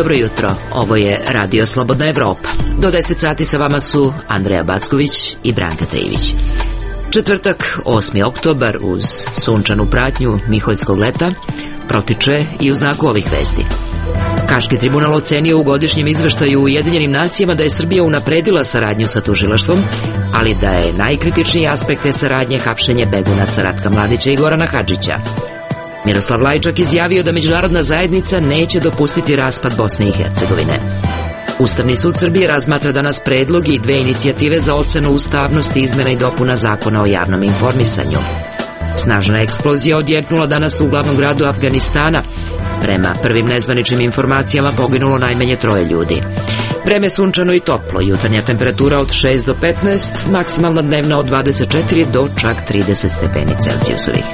Dobro jutro, ovo je Radio Slobodna Evropa. Do 10 sati sa vama su Andreja Backović i Branka Trijević. Četvrtak, 8. oktobar, uz sunčanu pratnju miholjskog leta, protiče i u znaku ovih vesti. Haški tribunal ocenio u godišnjem izveštaju u Ujedinjenim nacijama da je Srbija unapredila saradnju sa tužilaštvom, ali da je najkritičniji aspekt te saradnje hapšenje begunaca Ratka Mladića i Gorana Hadžića. Miroslav Lajčak izjavio da međunarodna zajednica neće dopustiti raspad Bosne i Hercegovine. Ustavni sud Srbije razmatra danas predlog i 2 inicijative za ocenu ustavnosti izmena i dopuna Zakona o javnom informisanju. Snažna eksplozija odjeknula danas u glavnom gradu Afganistana. Prema prvim nezvaničnim informacijama poginulo najmanje 3 ljudi. Vreme sunčano i toplo, jutarnja temperatura od 6 do 15, maksimalna dnevna od 24 do čak 30 stepeni Celzijusovih.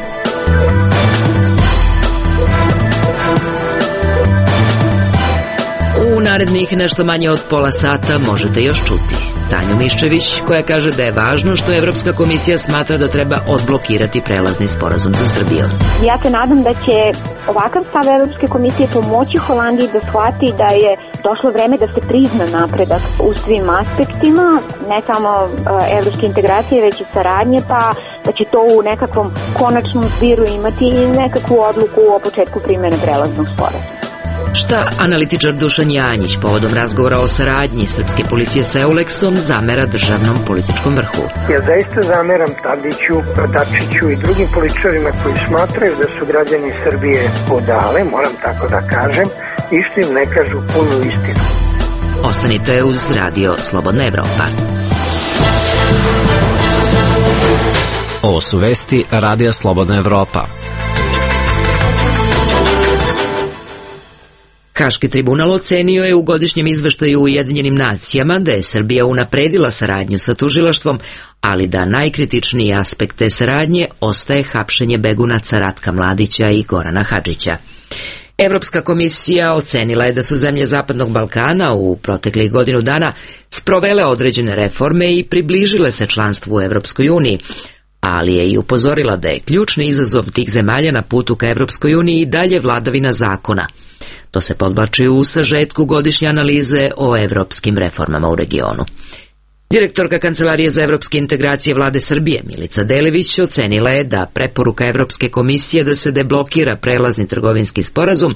U narednih nešto manje od pola sata možete još čuti Tanju Miščević, koja kaže da je važno što Evropska komisija smatra da treba odblokirati prelazni sporazum sa Srbijom. Ja se nadam da će ovakav stav Evropske komisije pomoći Holandiji da shvati da je došlo vreme da se prizna napredak u svim aspektima, ne samo evropske integracije, već i saradnje, pa da će to u nekakvom konačnom zbiru imati i nekakvu odluku o početku primjene prelaznog sporazuma. Šta analitičar Dušan Janjić povodom razgovora o saradnji srpske policije sa Euleksom zamera državnom političkom vrhu? Ja zaista zameram Tadiću, Dačiću i drugim političarima koji smatraju da su građani Srbije podale, moram tako da kažem, i što im ne kažu punu istinu. Ostanite uz Radio Slobodna Evropa. Ovo su vesti Radija Slobodna Evropa. Haški tribunal ocenio je u godišnjem izveštaju u Ujedinjenim nacijama da je Srbija unapredila saradnju sa tužilaštvom, ali da najkritičniji aspekt te saradnje ostaje hapšenje begunaca Ratka Mladića i Gorana Hadžića. Evropska komisija ocenila je da su zemlje Zapadnog Balkana u proteklih godinu dana sprovele određene reforme i približile se članstvu u Evropskoj uniji, ali je i upozorila da je ključni izazov tih zemalja na putu ka Evropskoj uniji i dalje vladavina zakona. To se podvlači u sažetku godišnje analize o evropskim reformama u regionu. Direktorka Kancelarije za evropske integracije Vlade Srbije, Milica Delević, ocenila je da preporuka Evropske komisije da se deblokira prelazni trgovinski sporazum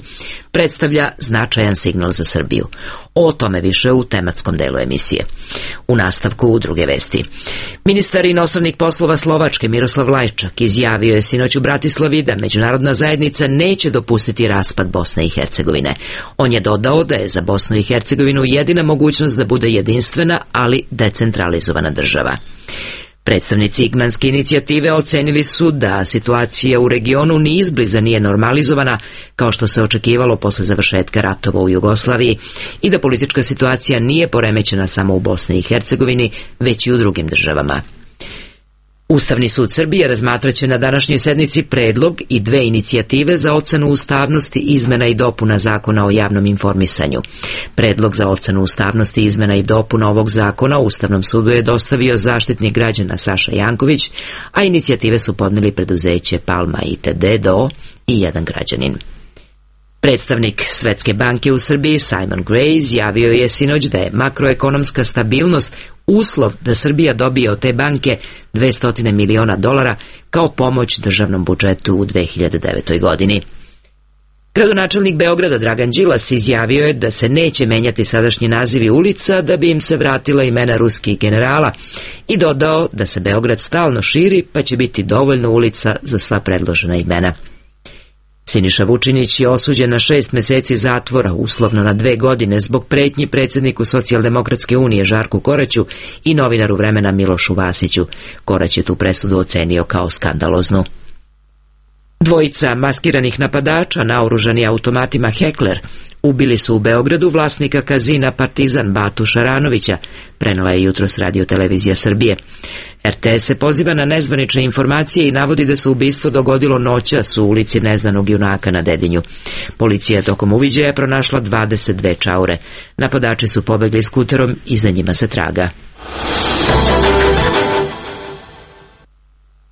predstavlja značajan signal za Srbiju. O tome više u tematskom delu emisije. U nastavku u druge vesti. Ministar inostranih poslova Slovačke Miroslav Lajčak izjavio je sinoć u Bratislavi da međunarodna zajednica neće dopustiti raspad Bosne i Hercegovine. On je dodao da je za Bosnu i Hercegovinu jedina mogućnost da bude jedinstvena, ali decentralizovana država. Predstavnici Igmanske inicijative ocenili su da situacija u regionu ni izbliza nije normalizovana kao što se očekivalo posle završetka ratova u Jugoslaviji i da politička situacija nije poremećena samo u Bosni i Hercegovini, već i u drugim državama. Ustavni sud Srbije razmatraće na današnjoj sednici predlog i 2 inicijative za ocenu ustavnosti izmena i dopuna Zakona o javnom informisanju. Predlog za ocenu ustavnosti izmena i dopuna ovog zakona Ustavnom sudu je dostavio zaštitnik građana Saša Janković, a inicijative su podneli preduzeće Palma ITD DO i jedan građanin. Predstavnik Svetske banke u Srbiji Simon Gray izjavio je sinoć da je makroekonomska stabilnost uslov da Srbija dobije od te banke $200 miliona kao pomoć državnom budžetu u 2009. godini. Gradonačelnik Beograda Dragan Đilas izjavio je da se neće menjati sadašnji nazivi ulica da bi im se vratila imena ruskih generala i dodao da se Beograd stalno širi pa će biti dovoljno ulica za sva predložena imena. Siniša Vučinić je osuđen na 6 meseci zatvora, uslovno na 2 godine, zbog pretnji predsjedniku Socijaldemokratske unije Žarku Koraću i novinaru Vremena Milošu Vasiću. Korać je tu presudu ocenio kao skandaloznu. 2 maskiranih napadača naoružani automatima Hekler ubili su u Beogradu vlasnika kazina Partizan Batu Šaranovića, prenela je jutros Radio Televizija Srbije. RTS se poziva na nezvanične informacije i navodi da se ubistvo dogodilo noćas u ulici Neznanog junaka na Dedinju. Policija tokom uviđaja pronašla 22 čaure. Napadači su pobegli skuterom i za njima se traga.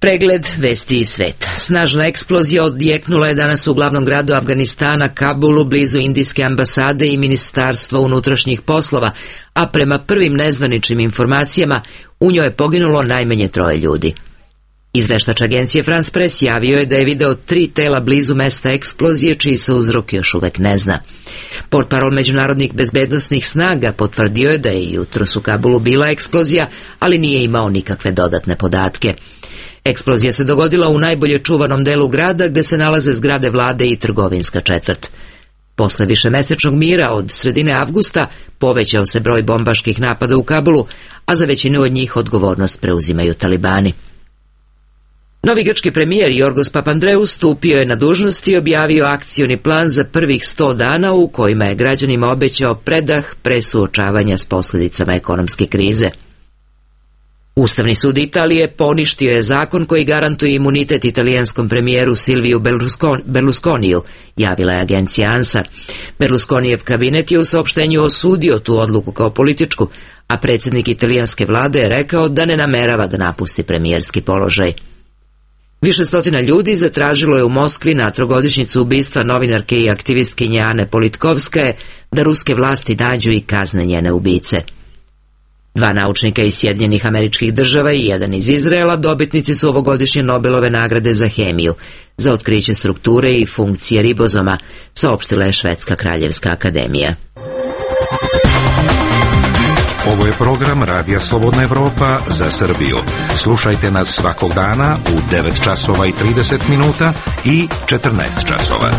Pregled vesti iz sveta. Snažna eksplozija odjeknula je danas u glavnom gradu Afganistana, Kabulu, blizu indijske ambasade i ministarstva unutrašnjih poslova, a prema prvim nezvaničnim informacijama u njoj je poginulo najmanje 3 ljudi. Izveštač agencije France Press javio je da je video 3 tela blizu mesta eksplozije, čiji se uzrok još uvek ne zna. Portparol međunarodnih bezbednosnih snaga potvrdio je da je jutros u Kabulu bila eksplozija, ali nije imao nikakve dodatne podatke. Eksplozija se dogodila u najbolje čuvanom delu grada, gde se nalaze zgrade vlade i trgovinska četvrt. Posle višemesečnog mira od sredine avgusta povećao se broj bombaških napada u Kabulu, a za većinu od njih odgovornost preuzimaju talibani. Novi grčki premijer Jorgos Papandreou stupio je na dužnost i objavio akcioni plan za prvih 100 dana u kojima je građanima obećao predah pre suočavanja s posljedicama ekonomske krize. Ustavni sud Italije poništio je zakon koji garantuje imunitet italijanskom premijeru Silviju Berlusconiju, javila je agencija ANSA. Berlusconijev kabinet je u saopštenju osudio tu odluku kao političku, a predsjednik italijanske vlade je rekao da ne namerava da napusti premijerski položaj. Više stotina ljudi zatražilo je u Moskvi na trogodišnjicu ubistva novinarke i aktivistkinje Ane Politkovskaje da ruske vlasti nađu i kazne njene ubice. 2 naučnika iz Sjedinjenih Američkih Država i 1 iz Izraela dobitnici su ovogodišnje Nobelove nagrade za hemiju, za otkriće strukture i funkcije ribozoma, saopštila je Švedska kraljevska akademija. Ovo je program Radija Slobodna Evropa za Srbiju. Slušajte nas svakog dana u 9 časova i 30 minuta i 14 časova.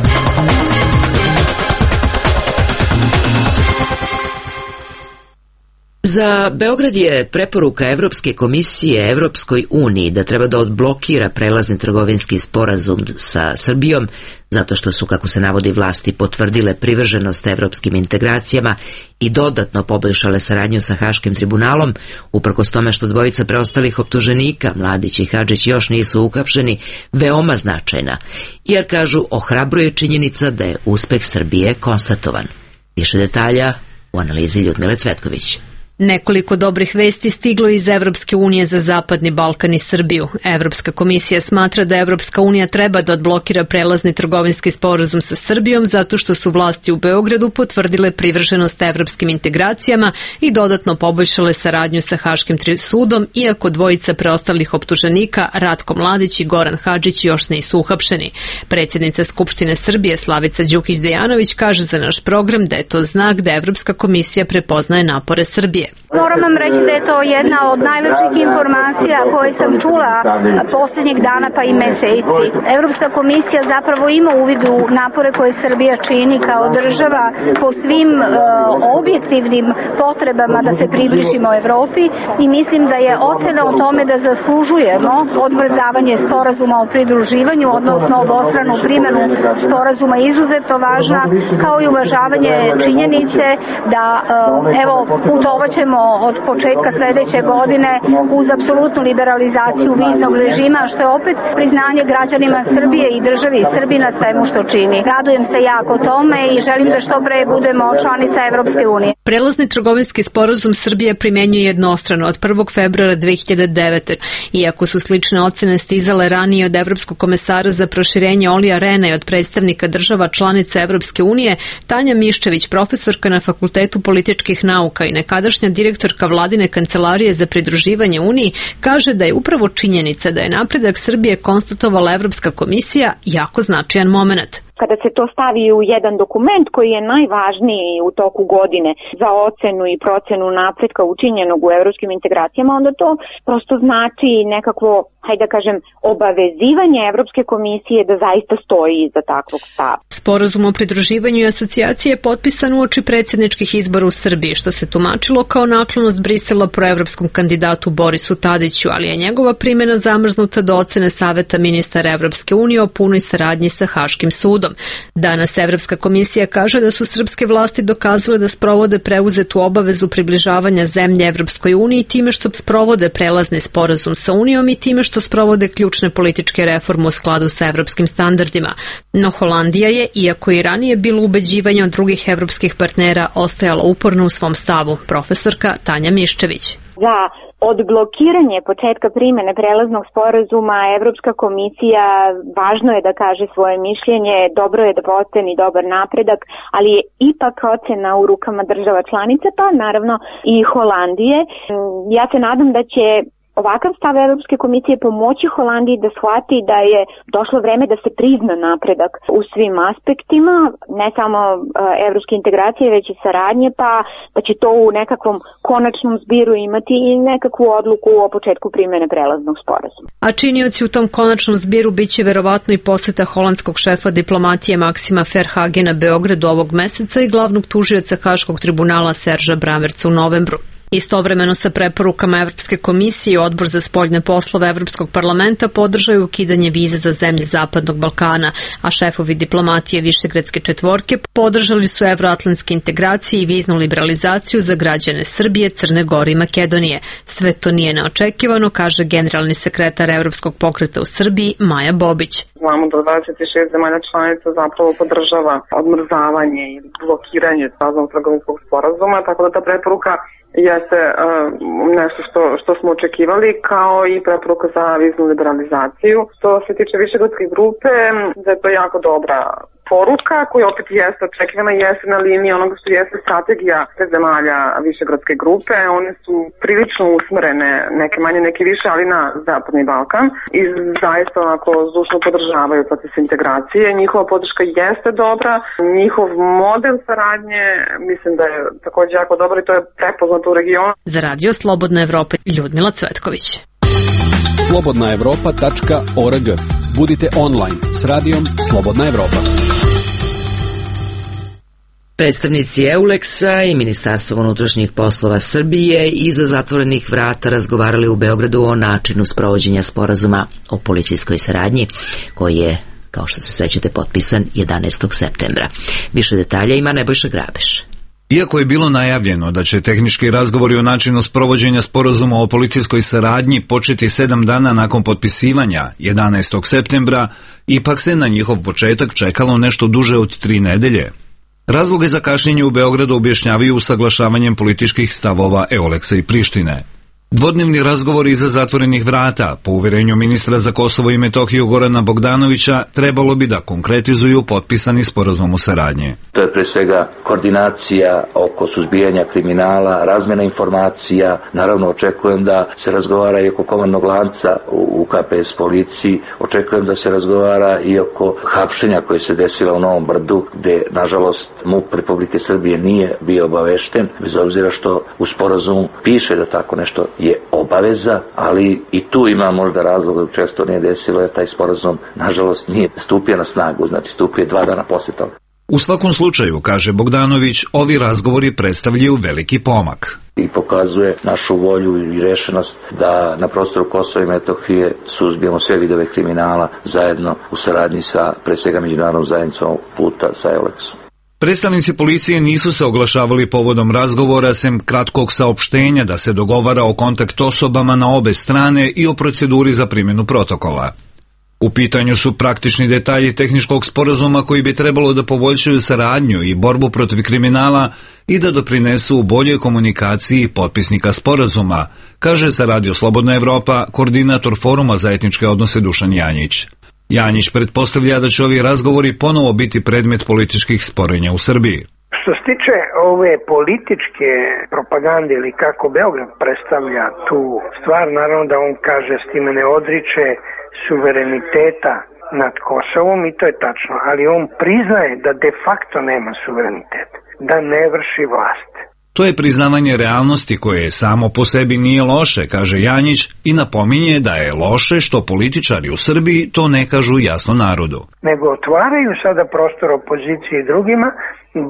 Za Beograd je preporuka Evropske komisije Evropskoj uniji da treba da odblokira prelazni trgovinski sporazum sa Srbijom, zato što su, kako se navodi, vlasti potvrdile privrženost evropskim integracijama i dodatno poboljšale saradnju sa Haškim tribunalom, uprkos tome što dvojica preostalih optuženika, Mladić i Hadžić, još nisu uhapšeni, veoma značajna, jer, kažu, ohrabruje činjenica da je uspeh Srbije konstatovan. Više detalja u analizi Ljudmile Cvetković. Nekoliko dobrih vesti stiglo iz Evropske unije za Zapadni Balkan i Srbiju. Evropska komisija smatra da Evropska unija treba da odblokira prelazni trgovinski sporazum sa Srbijom zato što su vlasti u Beogradu potvrdile privrženost evropskim integracijama i dodatno poboljšale saradnju sa Haškim sudom, iako dvojica preostalih optuženika, Ratko Mladić i Goran Hadžić, još nisu uhapšeni. Predsjednica Skupštine Srbije Slavica Đukić-Dejanović kaže za naš program da je to znak da Evropska komisija prepoznaje napore Srbije. Moram vam reći da je to jedna od najlepših informacija koje sam čula posljednjeg dana pa i meseci. Evropska komisija zapravo ima uvid u napore koje Srbija čini kao država po svim objektivnim potrebama da se približimo Evropi i mislim da je ocena o tome da zaslužujemo odmrzavanje sporazuma o pridruživanju, odnosno obostranu primjenu sporazuma izuzetno važna, kao i uvažavanje činjenice da putovaćemo od početka sljedeće godine uz apsolutnu liberalizaciju viznog režima, što je opet priznanje građanima Srbije i državi Srbiji na svemu što čini. Radujem se jako tome i želim da što pre budemo članica Evropske unije. Prelazni trgovinski sporazum Srbija primjenjuje jednostrano od 1. februara 2009. Iako su slične ocene stizale ranije od Evropskog komesara za proširenje Olija Rena i od predstavnika država članica Evropske unije, Tanja Miščević, profesorka na Fakultetu političkih nauka i nekadašnja direktorka vladine kancelarije za pridruživanje Uniji, kaže da je upravo činjenica da je napredak Srbije konstatovala Evropska komisija jako značajan moment. Kada se to stavi u jedan dokument koji je najvažniji u toku godine za ocenu i procenu napretka učinjenog u evropskim integracijama, onda to prosto znači nekakvo, hajde da kažem, obavezivanje Evropske komisije da zaista stoji iza takvog stava. Sporazum o pridruživanju i asocijaciji je potpisan uoči predsjedničkih izbora u Srbiji, što se tumačilo kao naklonost Brisela proevropskom kandidatu Borisu Tadiću, ali je njegova primjena zamrznuta do ocene Saveta ministara Evropske unije o punoj saradnji sa Haškim sudom. Danas Evropska komisija kaže da su srpske vlasti dokazale da sprovode preuzetu obavezu približavanja zemlje Evropskoj uniji time što sprovode prelazni sporazum sa Unijom i time što sprovode ključne političke reforme u skladu sa evropskim standardima. No Holandija je, iako i ranije bilo ubeđivanje od drugih evropskih partnera, ostajala uporno u svom stavu. Profesorka Tanja Miščević. Za odblokiranje početka primene prelaznog sporazuma Evropska komisija, važno je da kaže svoje mišljenje, dobro je da oceni dobar napredak, ali je ipak ocena u rukama država članica, pa naravno i Holandije. Ja se nadam da će ovakav stav Evropske komisije pomoći Holandiji da shvati da je došlo vreme da se prizna napredak u svim aspektima, ne samo evropske integracije, već i saradnje, pa da će to u nekakvom konačnom zbiru imati i nekakvu odluku o početku primene prelaznog sporazuma. A činioci u tom konačnom zbiru biće verovatno i poseta holandskog šefa diplomatije Maksima Verhagena Beogradu ovog meseca i glavnog tužioca Haškog tribunala Serža Brammertza u novembru. Istovremeno sa preporukama Evropske komisije, Odbor za spoljne poslove Evropskog parlamenta podržaju ukidanje vize za zemlje Zapadnog Balkana, a šefovi diplomatije Višegradske četvorke podržali su evroatlantske integracije i viznu liberalizaciju za građane Srbije, Crne Gore i Makedonije. Sve to nije neočekivano, kaže generalni sekretar Evropskog pokreta u Srbiji Maja Bobić. Znamo da 26 zemalja članica zapravo podržava odmrzavanje ili blokiranje raznog trgovinskog sporazuma, tako da ta preporuka jeste nešto što smo očekivali, kao i preporuka za viznu liberalizaciju. Što se tiče Višegradske grupe, da je to jako dobra poruka koja opet jeste očekivana, jeste na liniji onoga što jeste strategija te zemalja Višegradske grupe. One su prilično usmerene, neke manje, neke više, ali na Zapadni Balkan i zaista onako zdušno podržavaju proces integracije. Njihova podrška jeste dobra, njihov model saradnje mislim da je također jako dobar i to je prepoznato u regionu. Za Radio Slobodna Evropa, Ljudmila Cvetković. slobodnaevropa.org. Budite online s radijom Slobodna Evropa. Predstavnici EULEX-a i Ministarstva unutrašnjih poslova Srbije iza zatvorenih vrata razgovarali u Beogradu o načinu sprovođenja sporazuma o policijskoj saradnji, koji je, kao što se sećate, potpisan 11. septembra. Više detalja ima Nebojša Grabeš. Iako je bilo najavljeno da će tehnički razgovori o načinu sprovođenja sporazuma o policijskoj saradnji početi 7 dana nakon potpisivanja 11. septembra, ipak se na njihov početak čekalo nešto duže od 3 nedelje. Razloge za kašnjenje u Beogradu objašnjavaju usaglašavanjem političkih stavova EULEX-a i Prištine. Dvodnevni razgovori iza zatvorenih vrata, po uverenju ministra za Kosovo i Metohiju Gorana Bogdanovića, trebalo bi da konkretizuju potpisani sporazum o saradnji. To je pre svega koordinacija oko suzbijanja kriminala, razmjena informacija. Naravno, očekujem da se razgovara i oko komandnog lanca u KPS policiji. Očekujem da se razgovara i oko hapšenja koje se desilo u Novom Brdu, gde, nažalost, MUP Republike Srbije nije bio obavešten, bez obzira što u sporazumu piše da tako nešto je obaveza, ali i tu ima možda razloga da često nije desilo, jer taj sporazum, nažalost, nije stupio na snagu, znači stupio 2 dana posle toga. U svakom slučaju, kaže Bogdanović, ovi razgovori predstavljaju veliki pomak. I pokazuje našu volju i rešenost da na prostoru Kosova i Metohije suzbijemo sve vidove kriminala zajedno u saradnji sa, pre svega, međunarodnom zajednicom puta sa EULEX-om. Predstavnici policije nisu se oglašavali povodom razgovora, sem kratkog saopštenja da se dogovara o kontakt osobama na obe strane i o proceduri za primjenu protokola. U pitanju su praktični detalji tehničkog sporazuma koji bi trebalo da poboljšaju saradnju i borbu protiv kriminala i da doprinesu u boljoj komunikaciji potpisnika sporazuma, kaže za Radio Slobodna Evropa koordinator Foruma za etničke odnose Dušan Janjić. Janjić pretpostavlja da će ovi razgovori ponovo biti predmet političkih sporenja u Srbiji. Što se tiče ove političke propagande ili kako Beograd predstavlja tu stvar, naravno da on kaže s time ne odriče suvereniteta nad Kosovom i to je tačno, ali on priznaje da de facto nema suverenitet, da ne vrši vlast. To je priznavanje realnosti koje samo po sebi nije loše, kaže Janjić, i napominje da je loše što političari u Srbiji to ne kažu jasno narodu. Nego otvaraju sada prostor opoziciji i drugima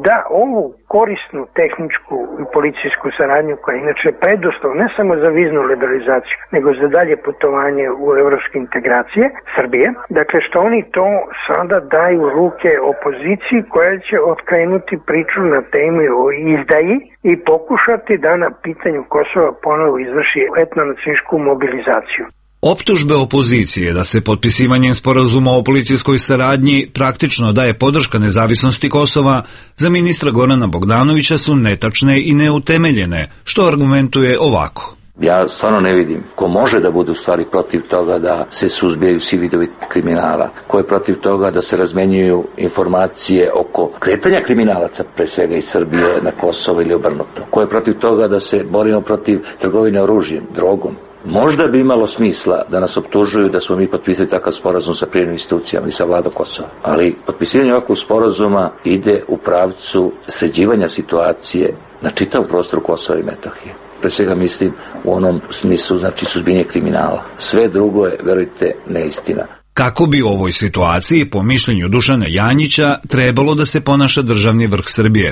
da ovu korisnu tehničku i policijsku saradnju, koja je inače preduslov ne samo za viznu liberalizaciju, nego za dalje putovanje u evropske integracije Srbije, dakle što oni to sada daju u ruke opoziciji koja će otkrenuti priču na temu o izdaji i pokušati da na pitanju Kosova ponovo izvrši etnonacističku mobilizaciju. Optužbe opozicije da se potpisivanjem sporazuma o policijskoj saradnji praktično daje podrška nezavisnosti Kosova za ministra Gorana Bogdanovića su netačne i neutemeljene, što argumentuje ovako. Ja stvarno ne vidim ko može da bude u stvari protiv toga da se suzbijaju svi vidovi kriminala, ko je protiv toga da se razmenjuju informacije oko kretanja kriminalaca, pre svega iz Srbije na Kosovo ili obrnuto, ko je protiv toga da se borimo protiv trgovine oružjem, drogom. Možda bi imalo smisla da nas optužuju da smo mi potpisali takav sporazum sa privremenim institucijama i sa vladom Kosova. Ali potpisivanje ovakvog sporazuma ide u pravcu sređivanja situacije na čitavom prostoru Kosova i Metohije. Pre svega mislim u onom smislu, znači suzbijanje kriminala. Sve drugo je, verujte, neistina. Kako bi u ovoj situaciji, po mišljenju Dušana Janjića, trebalo da se ponaša državni vrh Srbije?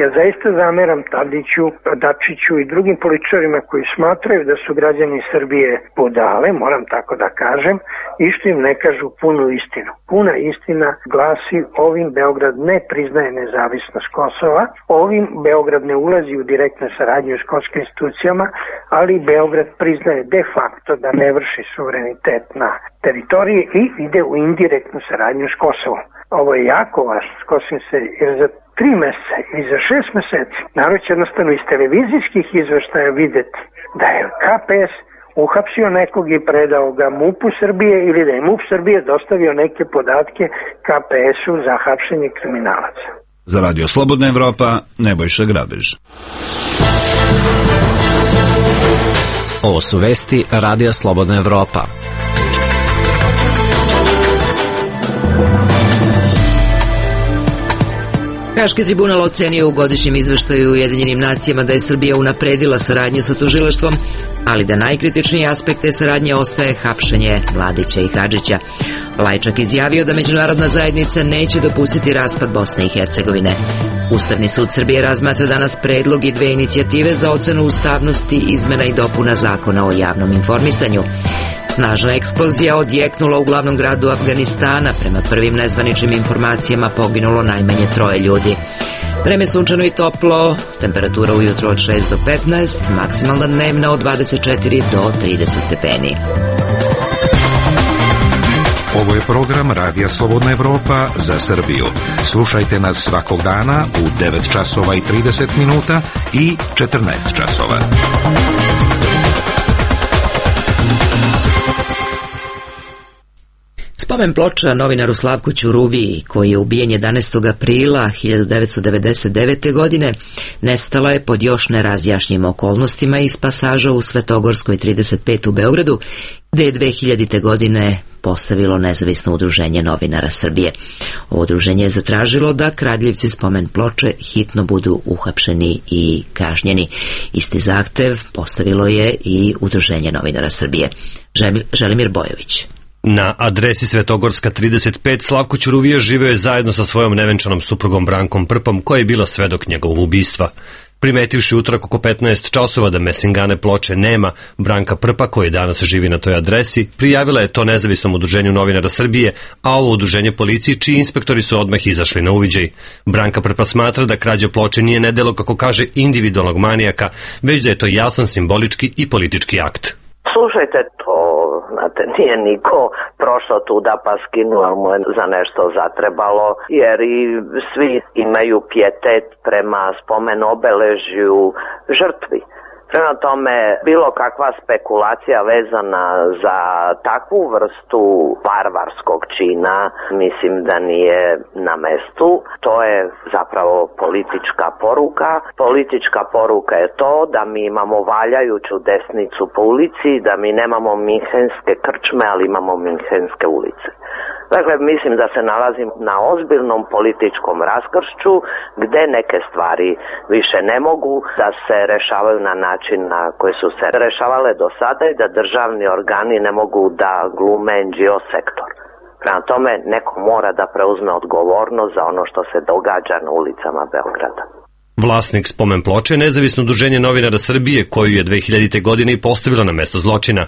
Ja zaista zameram Tadiću, Dačiću i drugim političarima koji smatraju da su građani Srbije budale, moram tako da kažem, i što im ne kažu punu istinu. Puna istina glasi: ovim Beograd ne priznaje nezavisnost Kosova, ovim Beograd ne ulazi u direktnu saradnju s kosovskim institucijama, ali Beograd priznaje de facto da ne vrši suverenitet na teritoriji i ide u indirektnu saradnju s Kosovom. Ovo je jako važno, skosim se, jer za 3 meseca ili za 6 meseci, narod će jednostavno iz televizijskih izveštaja videti da je KPS uhapsio nekog i predao ga MUP-u Srbije ili da je MUP Srbije dostavio neke podatke KPS-u za hapšenje kriminalaca. Za Radio Slobodna Evropa, Nebojša Grabež. Ovo su vesti Radija Slobodna Evropa. Haški tribunal ocenio u godišnjem izveštaju Ujedinjenim nacijama da je Srbija unapredila saradnju sa tužilaštvom, ali da najkritičniji aspekt te saradnje ostaje hapšenje Mladića i Hadžića. Lajčak izjavio da međunarodna zajednica neće dopustiti raspad Bosne i Hercegovine. Ustavni sud Srbije razmatra danas predlog i 2 inicijative za ocenu ustavnosti izmena i dopuna zakona o javnom informisanju. Snažna eksplozija odjeknula u glavnom gradu Afganistana. Prema prvim nezvaničnim informacijama poginulo najmanje 3 ljudi. Vreme sunčano i toplo, temperatura ujutro od 6 do 15, maksimalna dnevna od 24 do 30 stepeni. Ovo je program Radija Slobodna Evropa za Srbiju. Slušajte nas svakog dana u 9 časova i 30 minuta i 14 časova. Spomen ploča novinaru Slavku Ćuruviji, koji je ubijen 11. aprila 1999. godine, nestala je pod još nerazjašnjim okolnostima iz pasaža u Svetogorskoj 35 u Beogradu, gde je 2000. godine postavilo nezavisno udruženje novinara Srbije. Ovo udruženje je zatražilo da kradljivci spomen ploče hitno budu uhapšeni i kažnjeni. Isti zahtev postavilo je i udruženje novinara Srbije. Želimir Bojović. Na adresi Svetogorska 35 Slavko Ćuruvija živeo je zajedno sa svojom nevenčanom suprugom Brankom Prpom, koja je bila svedok njegovog ubistva. Primetivši utorak oko 15 časova da mesingane ploče nema, Branka Prpa, koja danas živi na toj adresi, prijavila je to nezavisnom udruženju novinara Srbije, a ovo udruženje policiji, čiji inspektori su odmah izašli na uviđaj. Branka Prpa smatra da krađa ploče nije nedelo, kako kaže, individualnog manijaka, već da je to jasan simbolički i politički akt. Slušajte, to, znate, nije niko prošao tuda pa skinuo mu je za nešto zatrebalo, jer i svi imaju pijetet prema spomen obeležju žrtvi. Prema tome, bilo kakva spekulacija vezana za takvu vrstu barbarskog čina, mislim da nije na mestu. To je zapravo politička poruka. Politička poruka je to da mi imamo valjajuću desnicu po ulici, da mi nemamo minhenske krčme, ali imamo minhenske ulice. Dakle, mislim da se nalazim na ozbiljnom političkom raskršću gde neke stvari više ne mogu da se rešavaju na način na koji su se rešavale do sada i da državni organi ne mogu da glume NGO sektor. Prema tome, neko mora da preuzme odgovornost za ono što se događa na ulicama Beograda. Vlasnik spomen ploče je nezavisno udruženje novinara Srbije, koju je 2000. godine i postavilo na mesto zločina.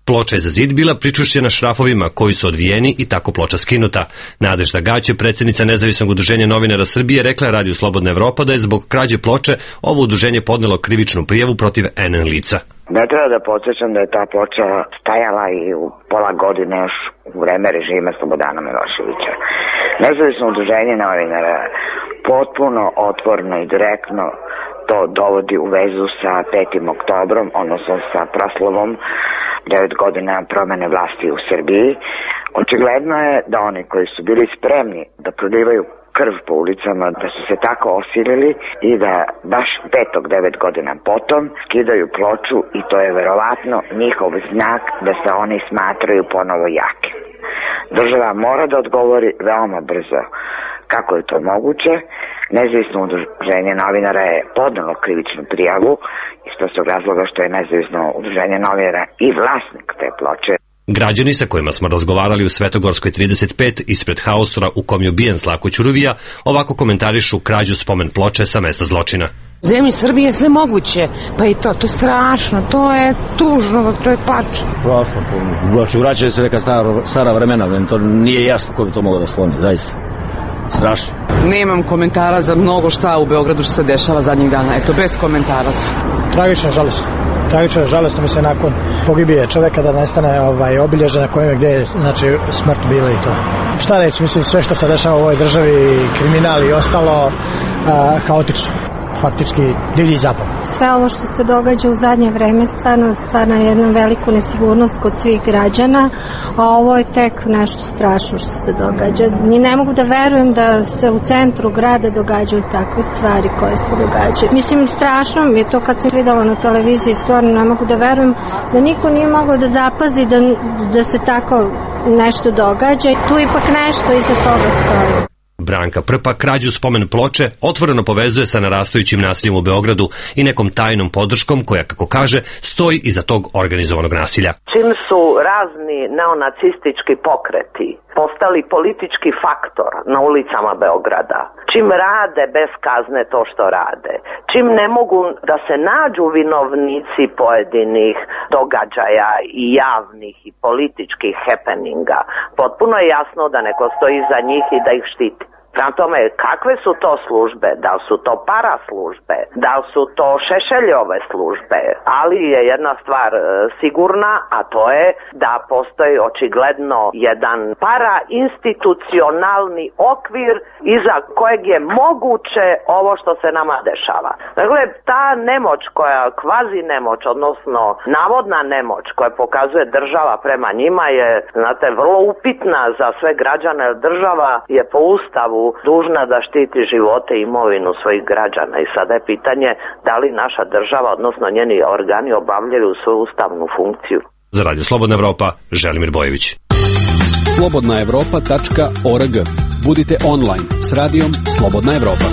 Ploča je za zid bila pričvršćena šrafovima koji su odvijeni i tako ploča skinuta. Nadežda Gać, predsjednica nezavisnog udruženja novinara Srbije, rekla je Radiju Slobodna Evropa da je zbog krađe ploče ovo udruženje podnelo krivičnu prijavu protiv NN lica. Ne treba da podsjećam da je ta ploča stajala i u pola godine još u vreme režima Slobodana Miloševića. Nezavisno udruženje novinara potpuno otvorno i direktno to dovodi u vezu sa 5. oktobrom, odnosno sa proslavom 9 godina promene vlasti u Srbiji. Očigledno je da oni koji su bili spremni da prolivaju krv po ulicama, da su se tako osilili i da baš 9 godina potom skidaju ploču i to je verovatno njihov znak da se oni smatraju ponovo jake. Država mora da odgovori veoma brzo. Kako je to moguće? Nezavisno udruženje novinara je podnelo krivičnu prijavu iz prostog razloga što je nezavisno udruženje novinara i vlasnik te ploče. Građani sa kojima smo razgovarali u Svetogorskoj 35 ispred haustora u kom je ubijen Slavko Ćuruvija ovako komentarišu krađu spomen ploče sa mesta zločina. U zemlji Srbije je sve moguće, pa i to je strašno, to je tužno, to je plač. Strašno, znači vraćaju se neka stara vremena, to nije jasno ko bi to mogao da skloni, zaista. Strašno. Nemam komentara za mnogo šta u Beogradu što se dešava zadnjih dana, eto, bez komentara. Tragično, žalostno. Tragično, žalostno mi se nakon pogibije čoveka da nestane obilježje na kojem je gde je smrt bila i to. Šta reći, mislim sve što se dešava u ovoj državi, kriminal i ostalo, haotično. Faktički divlji zapad. Sve ovo što se događa u zadnje vreme stvarno je jedna veliku nesigurnost kod svih građana, a ovo je tek nešto strašno što se događa. Ni ne mogu da verujem da se u centru grada događaju takve stvari koje se događaju. Mislim, strašno mi je to kad sam videla na televiziji, stvarno ne mogu da verujem da niko nije mogao da zapazi da se tako nešto događa. Tu ipak nešto iza toga stoji. Branka Prpa krađu spomen ploče otvoreno povezuje sa narastajućim nasiljem u Beogradu i nekom tajnom podrškom koja, kako kaže, stoji iza tog organizovanog nasilja. Čim su razni neonacistički pokreti postali politički faktor na ulicama Beograda, čim rade bez kazne to što rade, čim ne mogu da se nađu vinovnici pojedinih događaja i javnih i političkih happeninga, potpuno je jasno da neko stoji iza njih i da ih štiti. Prema tome, kakve su to službe? Da li su to paraslužbe? Da li su to Šešeljove službe? Ali je jedna stvar sigurna, a to je da postoji očigledno jedan parainstitucionalni okvir iza kojeg je moguće ovo što se nama dešava. Dakle, ta nemoć koja kvazi nemoć, odnosno navodna nemoć koja pokazuje država prema njima je, znate, vrlo upitna za sve građane. Država je po Ustavu dužna da štiti živote i imovinu svojih građana i sada je pitanje da li naša država, odnosno njeni organi obavljaju svoju ustavnu funkciju. Za Radio Slobodna Evropa, Želimir Bojević. slobodnaevropa.org. Budite online s radijom Slobodna Evropa.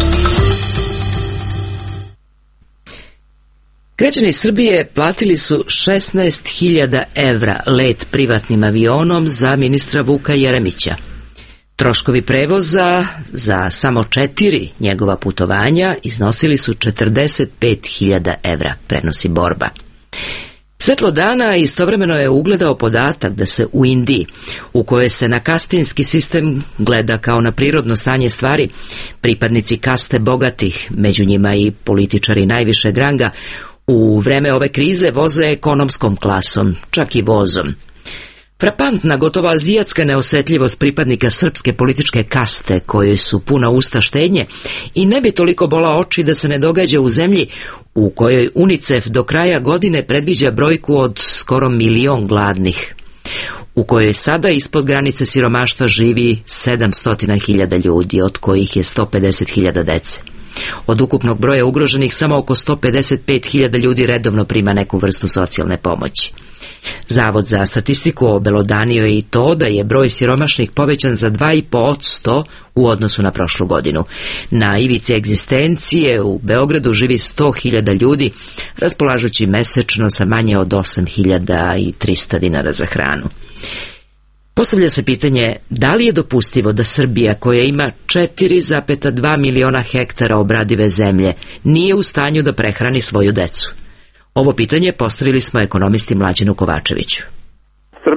Građani Srbije platili su 16.000 evra let privatnim avionom za ministra Vuka Jeremića. Troškovi prevoza za samo 4 njegova putovanja iznosili su 45.000 evra, prenosi Borba. Svetlo dana istovremeno je ugledao podatak da se u Indiji, u kojoj se na kastinski sistem gleda kao na prirodno stanje stvari, pripadnici kaste bogatih, među njima i političari najvišeg ranga, u vreme ove krize voze ekonomskom klasom, čak i vozom. Frapantna, gotovo azijatska neosetljivost pripadnika srpske političke kaste, kojoj su puna usta štednje, i ne bi toliko bola oči da se ne događa u zemlji u kojoj UNICEF do kraja godine predviđa brojku od skoro 1 milion gladnih, u kojoj sada ispod granice siromaštva živi 700.000 ljudi, od kojih je 150.000 dece. Od ukupnog broja ugroženih samo oko 155.000 ljudi redovno prima neku vrstu socijalne pomoći. Zavod za statistiku obelodanio je i to da je broj siromašnih povećan za 2,5% u odnosu na prošlu godinu. Na ivici egzistencije u Beogradu živi 100.000 ljudi, raspolažući mesečno sa manje od 8.300 dinara za hranu. Postavlja se pitanje da li je dopustivo da Srbija, koja ima 4,2 miliona hektara obradive zemlje, nije u stanju da prehrani svoju decu. Ovo pitanje postavili smo ekonomisti Mlađanu Kovačeviću.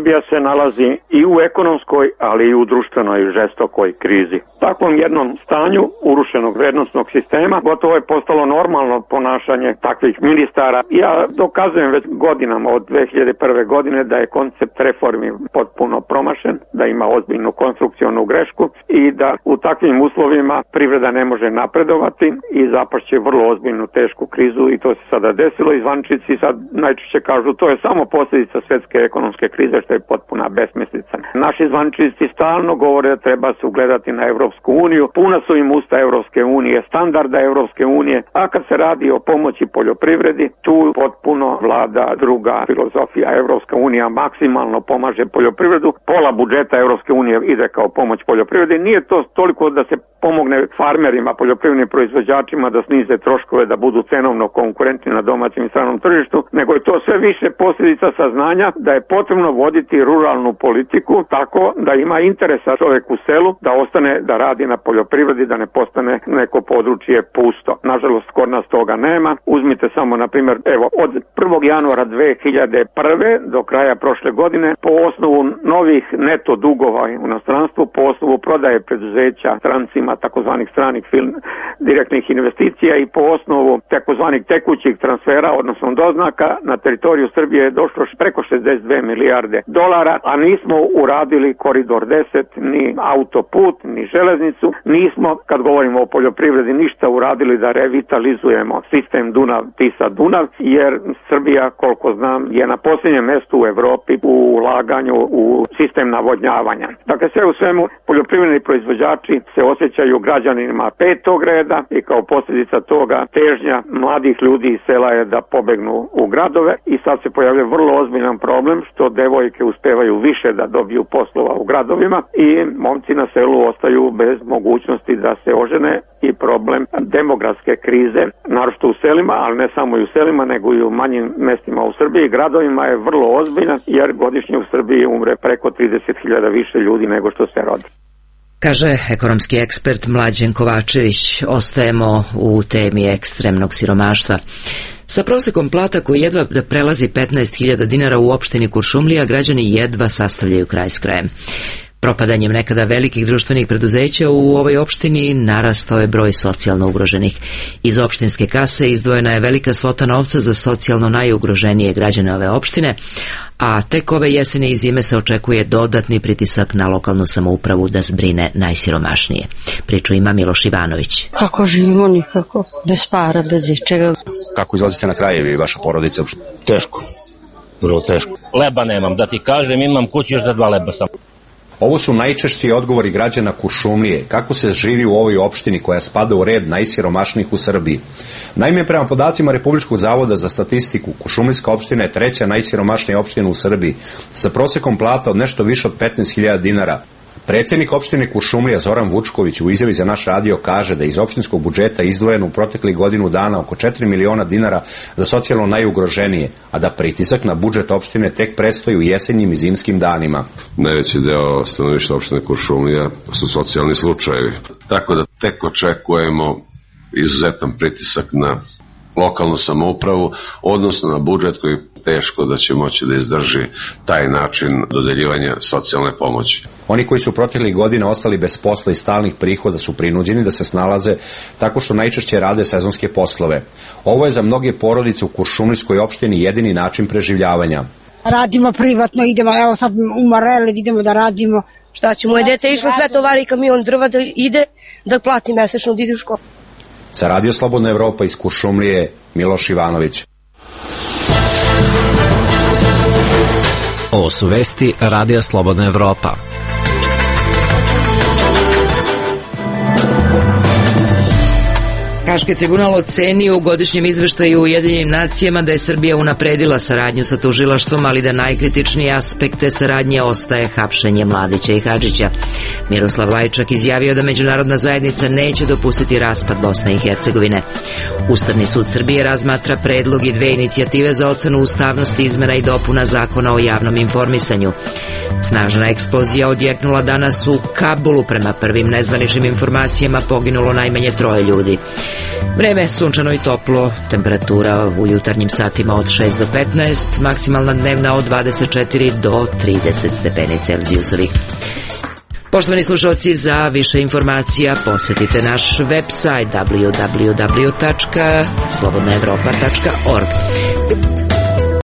Srbija se nalazi i u ekonomskoj, ali i u društvenoj žestokoj krizi. Takvom jednom stanju urušenog vrednostnog sistema gotovo je postalo normalno ponašanje takvih ministara. Ja dokazujem već godinama od 2001. godine da je koncept reformi potpuno promašen, da ima ozbiljnu konstrukcionu grešku i da u takvim uslovima privreda ne može napredovati i zapašće vrlo ozbiljnu tešku krizu i to se sada desilo i zvaničnici sad najčešće kažu to je samo posljedica svjetske ekonomske krize što je potpuna besmislica. Naši zvaničnici stalno govore da treba se ugledati na Evropsku uniju, puna su im usta Evropske unije, standarda Evropske unije, a kad se radi o pomoći poljoprivredi, tu potpuno vlada druga filozofija. Evropska unija maksimalno pomaže poljoprivredu, pola budžeta Evropske unije ide kao pomoć poljoprivredi. Nije to toliko da se pomogne farmerima, poljoprivrednim proizvođačima da snize troškove, da budu cenovno konkurentni na domaćem i stranom tržištu, nego je to sve više posljedica saznanja da je potrebno voditi ruralnu politiku tako da ima interesa čovjek u selu da ostane da radi na poljoprivredi, da ne postane neko područje pusto. Nažalost, kod nas toga nema. Uzmite samo, na primjer, evo, od 1. januara 2001. do kraja prošle godine, po osnovu novih neto dugova u inostranstvu, po osnovu prodaje preduzeća strancima, takozvanih stranih direktnih investicija i po osnovu takozvanih tekućih transfera, odnosno doznaka, na teritoriju Srbije je došlo preko 62 milijarde dolara, a nismo uradili koridor 10, ni autoput, ni železnicu, nismo, kad govorimo o poljoprivredi, ništa uradili da revitalizujemo sistem Dunav-Tisa-Dunav, jer Srbija, koliko znam, je na posljednjem mjestu u Evropi u ulaganju u sistem navodnjavanja. Dakle, sve u svemu, poljoprivredni proizvođači se osjećaju građanima petog reda i kao posljedica toga težnja mladih ljudi iz sela je da pobegnu u gradove i sad se pojavlja vrlo ozbiljan problem što devojke uspevaju više da dobiju poslova u gradovima i momci na selu ostaju bez mogućnosti da se ožene i problem demografske krize, naročito u selima, ali ne samo i u selima, nego i u manjim mestima u Srbiji i gradovima je vrlo ozbiljan jer godišnje u Srbiji umre preko 30.000 više ljudi nego što se rodi. Kaže ekonomski ekspert Mlađen Kovačević. Ostajemo u temi ekstremnog siromaštva. Sa prosekom plata koji jedva prelazi 15.000 dinara u opštini Kuršumlija, građani jedva sastavljaju kraj s krajem. Propadanjem nekada velikih društvenih preduzeća u ovoj opštini narastao je broj socijalno ugroženih. Iz opštinske kase izdvojena je velika svota novca za socijalno najugroženije građane ove opštine, a tek ove jeseni i zime se očekuje dodatni pritisak na lokalnu samoupravu da zbrine najsiromašnije. Priču ima Miloš Ivanović. Kako živimo nikako, bez para, bez ičega. Kako izlazite na kraje vi i vaša porodica? Teško, vrlo teško. Leba nemam, da ti kažem, imam kuću još za 2 leba sam. Ovo su najčešći odgovori građana Kuršumlije. Kako se živi u ovoj opštini koja spada u red najsiromašnijih u Srbiji? Naime, prema podacima Republičkog zavoda za statistiku, Kuršumlijska opština je 3. najsiromašnija opština u Srbiji, sa prosekom plata od nešto više od 15.000 dinara. Predsjednik opštine Kuršumlija Zoran Vučković u izjavi za naš radio kaže da iz opštinskog budžeta izdvojeno u proteklih godinu dana oko 4 miliona dinara za socijalno najugroženije, a da pritisak na budžet opštine tek predstoji u jesenjim i zimskim danima. Najveći deo stanovništva opštine Kuršumlija su socijalni slučajevi. Tako da tek očekujemo izuzetan pritisak na lokalnu samoupravu, odnosno na budžet koji teško da će moći da izdrži taj način dodeljivanja socijalne pomoći. Oni koji su proteklih godina ostali bez posla i stalnih prihoda su prinuđeni da se snalaze tako što najčešće rade sezonske poslove. Ovo je za mnoge porodice u Kuršumlijskoj opštini jedini način preživljavanja. Radimo privatno, idemo, evo sad u Mareli idemo da radimo. Šta će, moje dete išlo sve tovari kamion drva da ide, da plati mesečno, da ide u školu. Za Radio Slobodna Evropa iz Kuršumlije, Miloš Ivanović. Ovo su vesti Radija Slobodna Evropa. Haški tribunal ocenio u godišnjem izveštaju Ujedinjenim nacijama da je Srbija unapredila saradnju sa tužilaštvom, ali da najkritičniji aspekt te saradnje ostaje hapšenje Mladića i Hadžića. Miroslav Lajčak izjavio da međunarodna zajednica neće dopustiti raspad Bosne i Hercegovine. Ustavni sud Srbije razmatra predlog i 2 inicijative za ocenu ustavnosti izmena i dopuna zakona o javnom informisanju. Snažna eksplozija odjeknula danas u Kabulu. Prema prvim nezvaničnim informacijama poginulo najmanje 3 ljudi. Vreme sunčano i toplo, temperatura u jutarnjim satima od 6 do 15, maksimalna dnevna od 24 do 30 stepeni Celzijusovih. Poštovani slušalci, za više informacija posetite naš website www.slobodnaevropa.org.